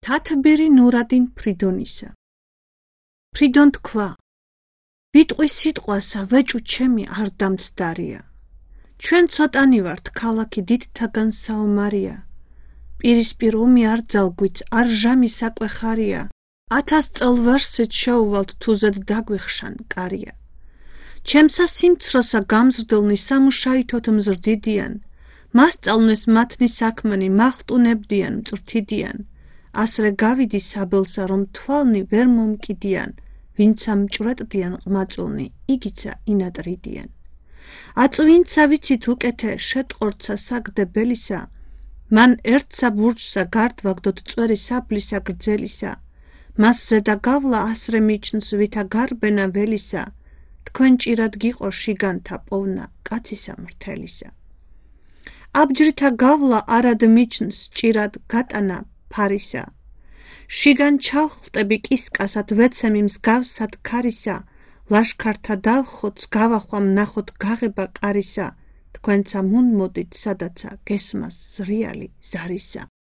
თათბირი ნურადინ ფრიდონისა. ფრიდონ თქვა, ვიტყვი სიტყვასა ვეჭუ ჩემი არ დამცდარია. ჩვენ ცოტანი ვართ ქალაქი დიდთაგან საომარია. პირისპირ ომი არ ძალგვიც არ ჟამი საკვეხარია. 1000 წელ ვერსით შეუვალთ თუზედ დაგვიხშან კარია. ჩემსა სიმცროსა გამზრდელნი სამუშაითოთ მზრდიდიან. მასწავლნეს მათნი საქმენი მახტუნებდიან მწვრთიდიან. ასრე გავიდი საბელსა რომ თვალნი ვერ მომკიდიან. ვინცა მჭვრეტდიან ყმაწულნი იგიცა ინატრიდიან. აწვინცა ვიცით უკეთე შეტყორცა საგდებელისა. მან ერთსა ბურჯსა გარდვაგდოთ წვერი საბლისა გრძელისა. მას ზედა გავლა ასრე მიჩნს ვითა გარბენა ველისა. თქვენ ჭირად გიყო შიგანთა პოვნა კაცისა მრთელისა. აბჯრითა გავლა არად მიჩნს ჭირად გატანა ფარისა. შიგან ჩავხტები კისკასად ვეცემი მსგავსად ქარისა. ლაშქართა დავხოც გავახვამ ნახოთ გაღება კარისა. თქვენცა მუნ მოდით სადაცა გესმას ზრიალი ზარისა.